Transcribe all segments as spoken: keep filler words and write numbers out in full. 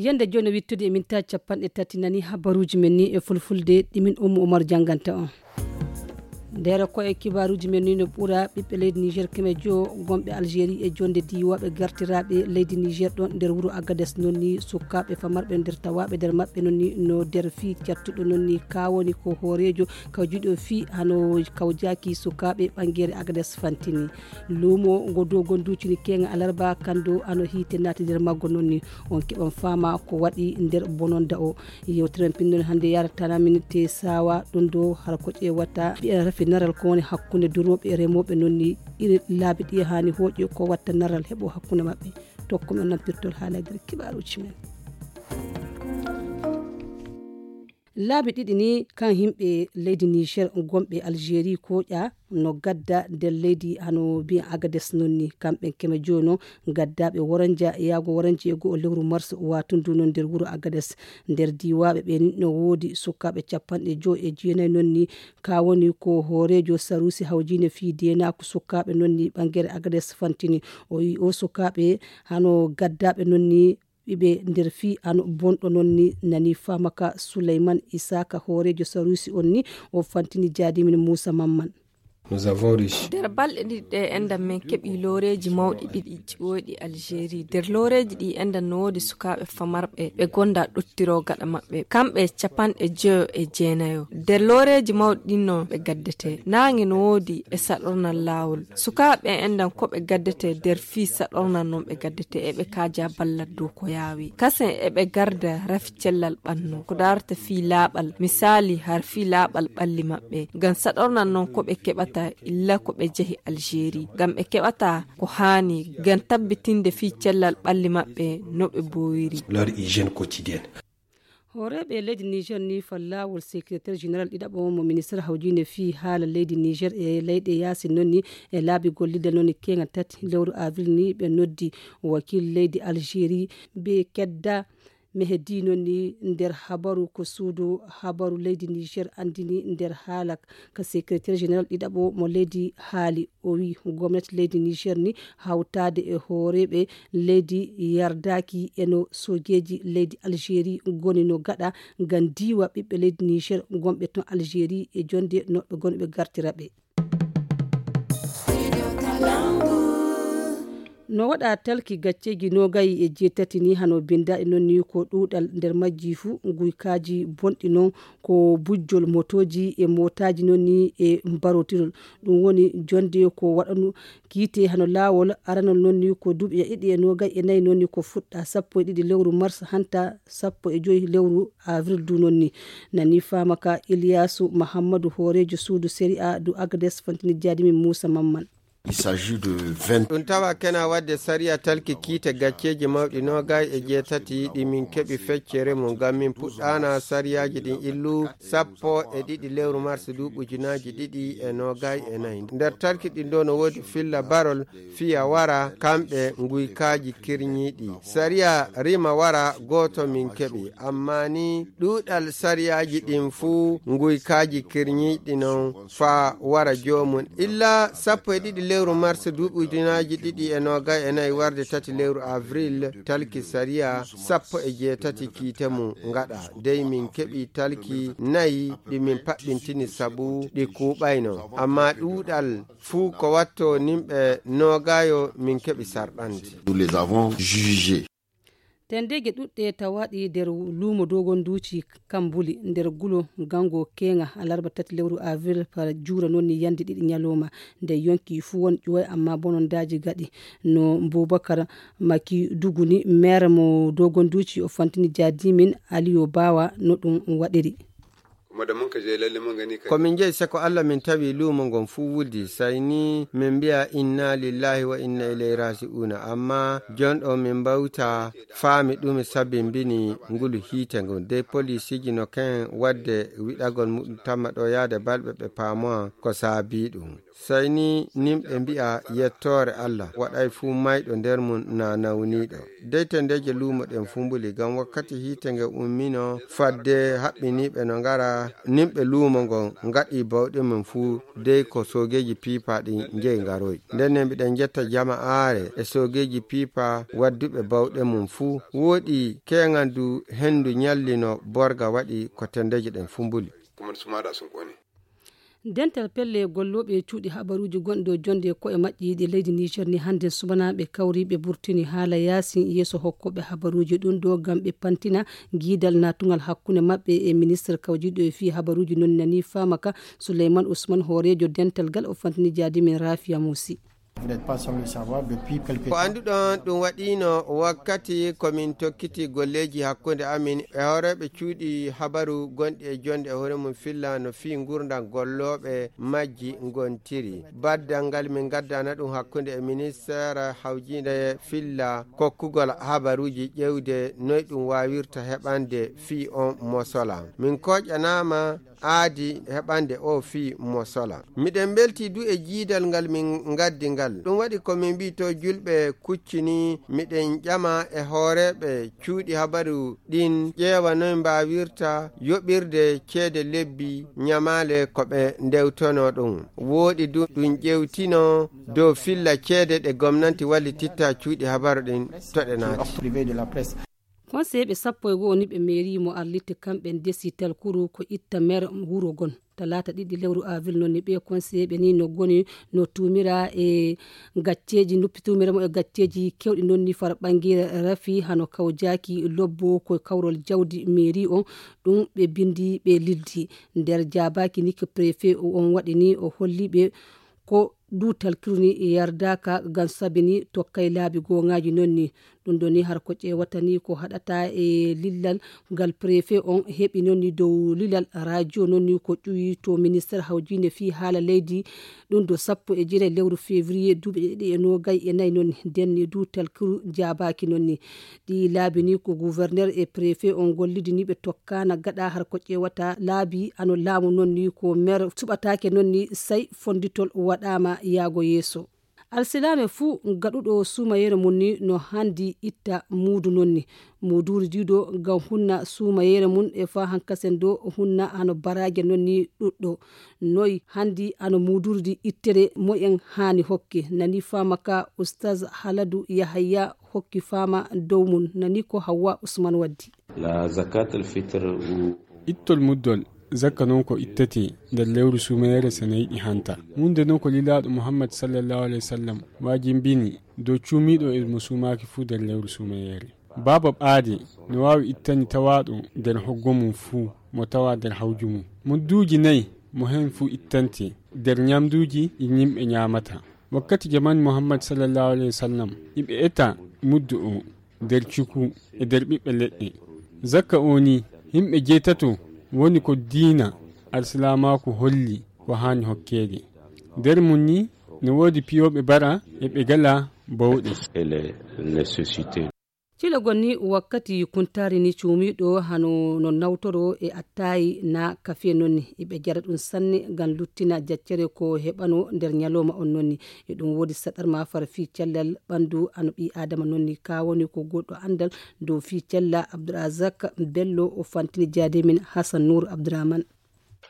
Yande jooni wittude e minta capanɗe tati nani habaruuji men ni e fulfulde ɗi min Ummu Umar jannganta on. Nder ko e kibaaruuji men ni no ɓura ɓiɓɓe leydi Niger keme joo gonɓe Algérie e jonde diiwaaɓe gartiraaɓe leydi Niger ɗon nder wuro Agades non ni sukaaɓe famarɓe nder tawaaɓe nder maɓɓe non ni no nder fii cattuɗo non ni ka woni ko hooreejo kawjuɗo fii hano kawjaaki sukaaɓe ɓangeere Agades fantini. Luumo ngo dogon duucini keŋa alarba kando ano hiite naati nder maggo non ni on keɓan faama ko waɗi nder bononda o. Yewtere men pinnoɗen hannde yaratana min te sawa ɗum ɗo hara ko ƴeewata ɓiya rafi naral ko woni hakkunde durooɓe e remooɓe non ni iri laabi ɗi hani hooƴe ko watta naral heɓo hakkunde maɓɓe. Tokku men nampirtol haala e nder kibaaruuji men. Laabi ɗiɗi ni kan yimɓe leydi Niger gonɓe Algérie koƴa no gadda nder leydi hano mbiya Agades non ni kamɓe keme jono gaddaɓe woranja yaago woranje e go'o lewru mars watundu non nder wuro Agades. Nder diiwaɓe ɓe ni no woodi sukaaɓe capanɗe joy e jeenayi non ni ka woni ko hooreejo sarusi hawjine fii deenaaku sukaaɓe non ni ɓangere Agades fantini. O wi o sukaaɓe hano gaddaɓe non ni ɓiɓe nder fii ano bonɗo non ni nani famaka Suleyman Isaka hooreejo sarusi on ni o fantini jaadimin Muusa Mamman. Nder balɗe ɗiɗi ɗe enɗan men keɓi looreeji mawɗi ɗiɗi ɓooyɗi Algérie. Nder looreeji ɗi enɗan no woodi sukaaɓe famarɓe ɓe gonda ɗottiro gaɗa maɓɓe kamɓe capanɗe joyo e jeenayo. Nder looreeji mawɗi ɗin no ɓe gaddete naange no woodi e saɗornal laawol. Sukaaɓe enɗan ko ɓe gaddete nder fii saɗornal non ɓe gaddete e ɓe kaaja ballat dow ko yaawi kasen e ɓe garda rafi cellal ɓannu ko daarata fii laaɓal misaali har fii laaɓal ɓalli maɓɓe ngam saɗornal non ko ɓe keɓata illa ko ɓe jehi Algérie ngam ɓe keɓata ko haani ngam tabbitinde fii cellal ɓalli maɓɓe no ɓe boowiri. Hooreeɓe leydi Niger ni fa laawol secrétaire général ɗiɗaɓo mo ministre hawjinde fii haala leydi Niger e leyɗe yaasi non ni e laabi gollidal non ni keŋa tati lewru avril ni ɓe noddi wakiil leydi Algérie be kedda mehedi non ni nder habaru ko suudu habaru leydi Niger andini nder haala ka secrétaire général ɗiɗaɓo mo leydi haali. O wi gomnati leydi Niger ni hawtaade e hooreeɓe leydi yardaaki e no soojeeji leydi Algérie ngoni no gaɗa ngam diiwa ɓiɓɓe leydi Niger gonɓe ton Algérie e jonde noɓɓe gonɓe gartira ɓe. No waɗa talki gacceeji nogayi e jeetati ni hano binndaaɗi non ni ko ɗuuɗal nder majji fuu nguykaaji bonɗi non ko bujjol motooji e mootaaji non ni e mbarotirol. Ɗum woni jonde ko waɗanu kiite hano laawol aranol non ni ko duuɓi e ɗiɗi e nogayi e nayi non ni ko fuɗɗa sappo e ɗiɗi lewru mars hanta sappo e joyi lewru avril du non ni. Nani faama ka Iliyaasu Mahammadu hooreejo suudu sariya du Agades fantini jaadimin Muusa Mamman. Ɗum tawa kena waɗde sariya talki kiite gacceeji mawɗi noogay e jeetati ɗi min keɓi feccere mum ngam min puɗɗaana sariyaaji ɗin illu sappo e ɗiɗi lewru mars duuɓi ujunaaji ɗiɗi e noogay e nayi. Nder talki ɗin ɗo no woodi filla barol fiya wara kamɓe nguykaaji kirñiiɗi. Sariya rima wara gooto min keɓi, amma ni ɗuuɗal sariyaaji ɗin fuu nguykaaji kirñiiɗi non faa wara joomum. Illa sappo e ɗiɗi lewru mars duuɓi ujunaaji ɗiɗi e noogay e nayi warde tati lewru avril, talki sariya sappo e jeetati kiite mum ngaɗa. Dey min keɓi talki nayi ɗi min paɓɓintini sabu ɗi kuuɓayno. Amma ɗuuɗal fuu ko watto nimɓe noogayo min keɓi sarɗante. Nous les avons jugés. Tendeeje ɗuɗɗe tawaaɗi nder luumo Dogon Duuci Kambuli nder gulo gango keeŋa alarba tati lewru avril fara juura noon ni yande ɗiɗi ñalooma. Nde yonki fuu won ƴuway amma bonondaaji gaɗi no Bubakar Maki Duguni, maire mo Dogon Duuci, o fantini jaadimin Aliyo Baawa no ɗum waɗiri. Ko min njeyi seko Allah min tawi luumo ngon fuu wuldi, say ni min mbi'a inna lillahi wa inna ilayhi raji'una, amma jonɗo min mbawta faami ɗume sabimbini ngulu hiite ngun. Dey poliisiji no ken wadde wiɗagol muɗum tamma ɗo yaade balɓe ɓe paamowa ko saabi ɗum. Say ni nimɓe mbi'a yettoore Allah waɗay fuu mayɗo nder mum na nawniiɗo. Dey tendeeje luumo ɗen fuu mbuli, ngam wakkati hiite nge ummino fadde haɓɓiniiɓe no ngara Nimɓe luumo ngon ngaɗi bawɗe mum fuu dey ko soogeeji piipa ɗin njeyi ngaroyi. Nden ne mbiɗen njetta jama'aare e soogeeji piipa wadduɓe bawɗe mum fuu. Wooɗi keeŋan du henndu nyallino borga waɗi ko tendeeji ɗen fuu mbuli. Dental pelle gollooɓe cuuɗi habaruuji gonɗo jonde ko e maƴƴiiɗe leydi Niger ni hannde subanaaɓe kawriiɓe burtini haala yaasin yeeso hokkooɓe habaruuji ɗum ɗo ngam ɓe pantina giidal naatugal hakkunde maɓɓe e ministre kawjiiɗo e fii habaruuji non nani faama ka. Souleyman Ousmane hooreejo dental gal o fantini jaadi men Rafia Mousi. Ko annduɗon ɗum waɗiino wakkati ko min tokkiti golleeji hakkunde amin e hooreeɓe cuuɗi habaru gonɗi e jonde e hoore mum filla no fii ngurdam gollooɓe majji ngontiri. Baddal ngal min ngaddana ɗum hakkunde e ministeere hawjiinde filla kokkugol habaruuji ƴeewde noy ɗum waawirta heɓande fii on mosola. Min kooƴanaama aadi heɓande o fii mosola. Miɗen mbelti du e jiidal ngal min ngaddi ngal. Ɗum waɗi ko min mbii to julɓe kuccini, miɗen ƴama e hooreeɓe cuuɗi habaru ɗin ƴeewa noy mbaawirta yoɓirde ceede lebbi ñamaale ko ɓe ndewtono ɗum. Wooɗi du ɗum ƴewtino dow filla ceede ɗe gomnanti wallititta cuuɗi habaru ɗin toɗe naati. Konseyeeɓe sappo e go'o niɓe meeri mo arlitte kamɓe ndesi talkuru ko itta mer wuro gon. Talaata ɗiɗi lewru avril noon ni ɓe konseyeeɓe ni no goni no tuumira e gacceeji, noppi tuumira mo e gacceeji kewɗi noon ni fara ɓanngere rafi hano kawjaaki lobbo ko kawrol jawdi meeri on. Ɗum ɓe binndi ɓe lildi nder jaabaaki ni ko préfet on waɗi ni o holli ɓe ko duutal kiruni yardaaka ngam sabini tokkay laabi gooŋaaji noon ni. Ɗum ɗo ni har ko ƴeewata ni ko haɗata e lillal ngal préfet on heɓi noon ni dow lilal radio noon ni ko ƴuwi to ministère hawjiinde fii haala leydi. Ɗum ɗo sappo e jeetati lewru février duuɓi ɗiɗi e noogay e nayi noon ni nden ni duutal kiru jaabaaki noon ni. Ɗi laabi ni ko gouverneur e préfet on gollidi ni ɓe tokkaana gaɗa har ko ƴeewata laabi ano laamu noon ni ko maire suɓataake noon ni say fonnditol waɗaama yaago yeeso. Alsilaame fuu gaɗuɗo suumayeere mum ni no handi itta muudu noon ni muuduuri diido ngam hunna suumayeere mum e faa hankasen do hunna hano baraaje noon ni ɗuɗɗo. Noy handi ano muuduuri di ittere moyen haani hokke nani faama ka ustaz Haladu Yahaya hokki faama dow mum nani ko Hawwa Usman waddi. La zakat al fitr ou ittol muddol zakka noon ko ittete nder lewru suumayeere so neyiɗi hanta. Wonde noon ko lilaaɗo Muhammad sallallahu alaihi wasallam waajimbini dow cuumiiɗo e mo suumaaki fuu nder lewru suumayeere. Baaba ɓaade no waawi ittani tawaaɗo nder hoggo mum fuu mo tawa nder hawju mum. Mudduuji nayi mo heen fuu ittante nder ñamduuji ɗi yimɓe ñaamata. Wakkati jamaanu Muhammad sallallahu alaihi wasallam iɓe eta muddu o nder cuku e nder ɓiɓɓe leɗɗe. Zakka o ni yimɓe jeetato woni ko diina alsilaamaaku holli ko haani hokkeede. Nder mum ni no woodi piyooɓe bara e ɓe gala bawɗe. Cilagol ni wakkati kuntaari ni cuumiiɗo hano no nawtoro e attaayi na kafe noon ni eɓe jara ɗum sanne ngam luttina jaccere ko heɓano nder ñalooma on noon ni. E ɗum woodi saɗar ma fara fii cellal ɓanndu ano ɓii aadama noon ni ka woni ko goɗɗo anndal dow fii cella. Abdourazak Bello o fantini jaade min Hassan Nour Abdourahmane.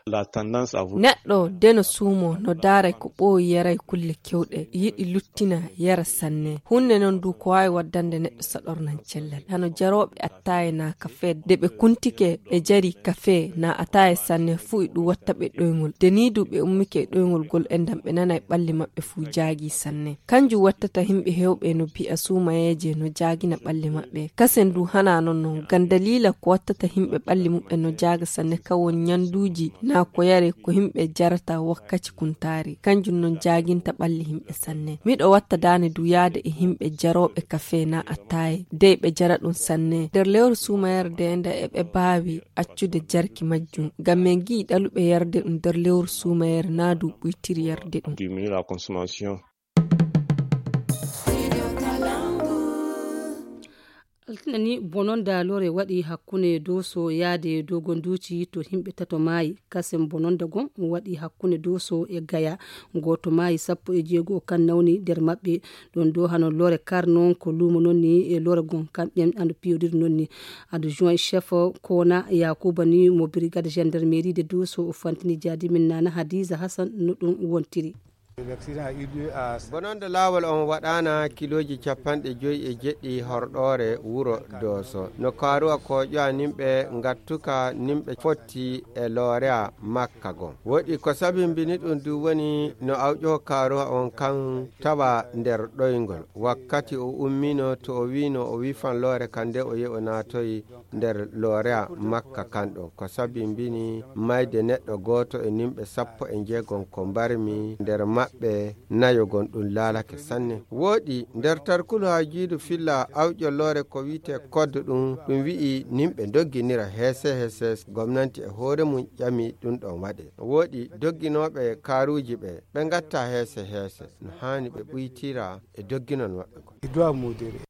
Neɗɗo de no suumo no daaray ko ɓooyi yaray kulle kewɗe yiɗi luttina yara sanne. Hunde noon du ko waawi waddande neɗɗo saɗornan cellal hano jarooɓe attaaye na kafe de ɓe kuntike ɓe jari kafe na attaaye sanne fuu e ɗum watta ɓe ɗoyngol de ni du ɓe ummike e ɗoyngol gol enɗam ɓe nanay ɓalli maɓɓe fuu jaagi sanne. Kanjum wattata yimɓe heewɓe no bi'a suumayeeje no jaagina ɓalli maɓɓe. Kasen du hana non non ngam daliila ko wattata yimɓe ɓalli muɓɓen no jaaga sanne ka won ñanduuji na ko yare ko yimɓe jarata wakkati kuntaari kanjum non jaaginta ɓalli yimɓe sanne. Miɗo watta daane du yaade e yimɓe jarooɓe kafe na attaaye dey ɓe jara ɗum sanne nder lewru suumayere de nda eɓe baawi accude jarki majjum ngam min ngi'i ɗaluɓe yarde ɗum nder lewru suumayere na du ɓuytiri yarde ɗum. Diminuer la consommation. Altine ni bononda lore waɗi hakkunde doso yaade dogonduuci to himɓe tato maayi. Kasen bononda gon waɗi hakkunde doso e gaya. Gooto maayi, sappo e jeego kan nawni nder maɓɓe. Ɗon do hano lore kar non ko luumo non ni e lore gon kamɓen ando piyodiri non ni. Adjoint chef kona yakuba ni mo brigade gendarmerie de doso o fantini jaadi min nana hadiza hasan no ɗum wontiri. Bononda laawol on waɗaana kilooji capanɗe joyi e jeɗɗi horɗoore wuro dooso no kaaruwa ko ƴowa nimɓe ngattuka nimɓe fotti e loorea makka gon. Woɗi ko sabimbini ɗum du woni no awƴo kaaruwa on kan tawa nder ɗoyngol wakkati o ummino to o wino o wifan loore kan nde o yehi o naatoyi nder loorea makka kan ɗon ko sabimbini mayde neɗɗo gooto e nimɓe sappo e njeegon ko mbarmi nder maɓɓe nayo gon ɗum laalake sanne. Wooɗi nder tarkulu haajiidu filla awƴo loore ko wi'ete koddo ɗum ɗum wi'i nimɓe ndogginira heese heeses gomnanti e hoore mum ƴami ɗum ɗon waɗe. Wooɗi dogginooɓe kaaruuji ɓe ɓe ngatta heese heese no haani ɓe ɓuytira e dogginon maɓɓe gon.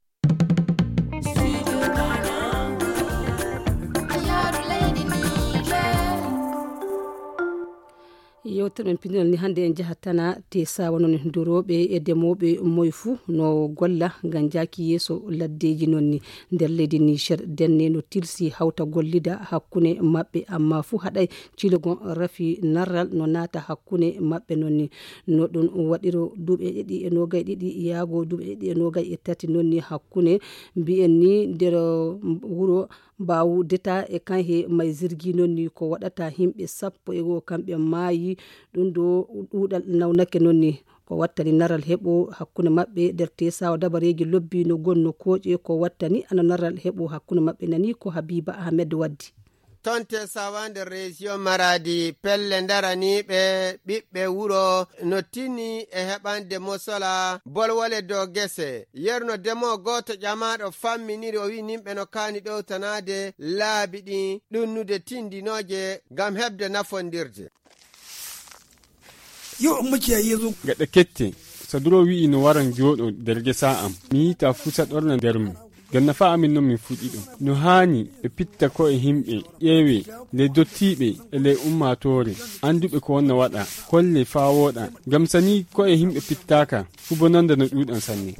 Yewtere men pinal ni hannde en jahat tana te sawa non durooɓe e demooɓe moye fuu no golla ngam jaaki yeeso laddeeji non ni nder leydi Niger denne no tilsi hawta gollida hakkunde maɓɓe amma fuu haɗay cilogon rafi narral no naata hakkunde maɓɓe non ni. No ɗum waɗiro duuɓi e ɗiɗi e noogay ɗiɗi yaago duuɓi e ɗiɗi e noogay e tati non ni hakkunde mbiyen ni nder wuro mbawu deta e kan he may zirgi non ni ko waɗata himɓe sappo e goo kamɓe maayi. Ɗum ɗo ɗuuɗal nawnake non ni ko wattani naral heɓo hakkunde maɓɓe nder tesawa dabareeji lobbi no gonno kooƴe ko wattani ana naral heɓo hakkunde maɓɓe nani ko habiba ahmed waddi. Tonte sawande reziyo maradi pelle ndaraniiɓe ɓiɓɓe wuro no tini e heɓande mosola bolwole dow gese yerno demo gooto ƴamaaɗo famminiri o wi'i nimɓe no kaani ɗowtanaade laabi ɗin ɗunnude tindinooje ngam heɓde nafondirde. Yo macciya yeeso. Gaɗa kette, saduro wi'i no waran jooɗo nder gesa am mi yiita fuu saɗorna nder mum. Ngam nafa amin non min fuɗɗi ɗum no haani ɓe pitta ko'e himɓe ƴeewe ley dottiiɓe e ley ummaatoore annduɓe ko wonna waɗa kolle faa wooɗa ngam sani ko'e yimɓe pittaaka fuu bonannda no ɗuuɗan sanne.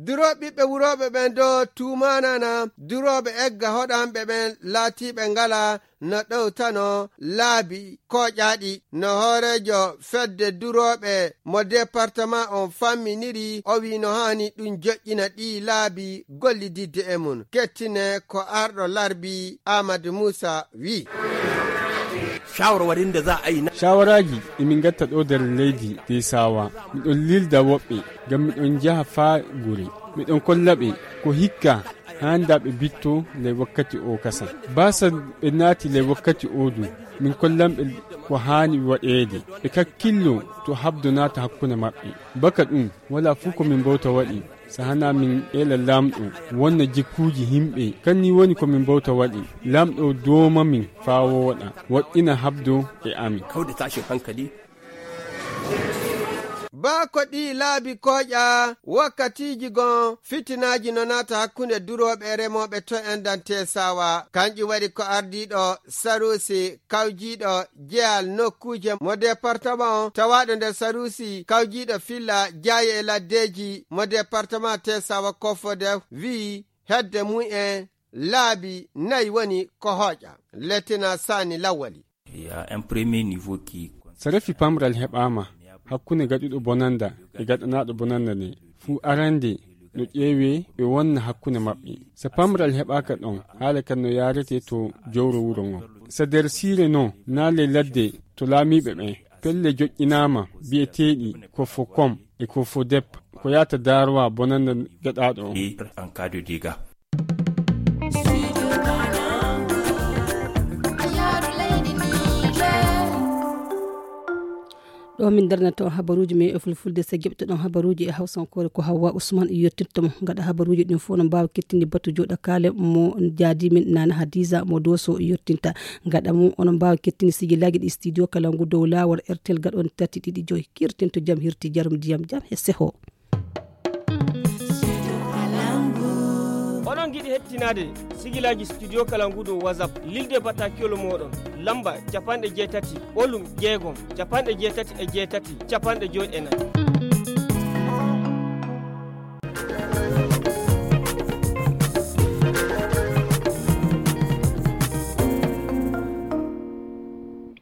Durooɓe ɓiɓɓe wurooɓe ɓen do tuumaanana durooɓe egga hoɗanɓe ɓen laatiiɓe ngala no ɗowtano laabi kooƴaaɗi no hooreejo fedde durooɓe mo departama on famminiri o wii no haani ɗum joƴƴina ɗii laabi gollididde e mum kettine ko arɗo larbi amadou moussa wii. Shawarwarin da za a yi na shawaraaji emin ngatta ɗo nder leydi de sawa miɗon lilda woɓɓe ngam miɗon njaha faa gure miɗon kolla ɓe ko hikka haanda ɓe bitto ley wakkati o kasa baasa ɓe naati ley wakkati o du min kollan ɓe ko haani waɗeede ɓe kakkillo to habdo naata hakkunde maɓɓe baka ɗum wala fuu ko min mbawta waɗi sahana min ela lamɗo wonna jikkuuji himɓe kanni woni ko min mbawta waɗi lamɗo dooma min faa wooɗa woɗɗina habdo e amin. Kawde tashin hankali. Baa ko ɗii laabi kooƴa wakkatiiji gon fitinaaji no naata hakkunde durooɓe e remooɓe to endan teesawa kanƴum waɗi ko ardiiɗo saruusi kawjiiɗo jeyal nokkuuje mo departama on tawaaɗo nder saruusi kawjiiɗo filla jaaye e laddeeji mo departama teesawa kofode wii hedde mum en laabi nayi woni ko hooƴa. Lettina saani lawwali. Sarafi pamral heɓaama hakkunde gaɗuɗo bonannda e gaɗanaaɗo bonannda nde fuu arande no ƴeewee ɓe wonna hakkunde maɓɓe. So pamral heɓaaka ɗon, haala kan no yaarete to jowro wuro ngon. So nder siire non, naa ley ladde to laamiiɓe ɓen, pelle joƴƴinaama biyeteeɗi ko fo kom e ko fo dep ko yaata daarowa bonannda gaɗaaɗo on. Ɗo min darnata on habaruuji men e fulfulde so jeɓtoɗon habaruuji e hawsankoore ko hawwa usman yettinto mo gaɗa habaruuji ɗin fof no mbaawa kettini batu jooɗa kaale mo jaadi min nana hadiza mo doso yettinta gaɗa mum onon mbaawa kettini sijilaaji ɗi studio kala ngu dow laawol rtl gaɗon tati ɗiɗi joyi kirtinto jam hirti jarum ndiyam jam e seho. Hettinaade sigilaaji Studio Kalangu dow WhatsApp, lilde bataakiwol mooɗon, lamba capanɗe jeetati, ɓolum jeegom, capanɗe jeetati e jeetati, capanɗe joy e nayi.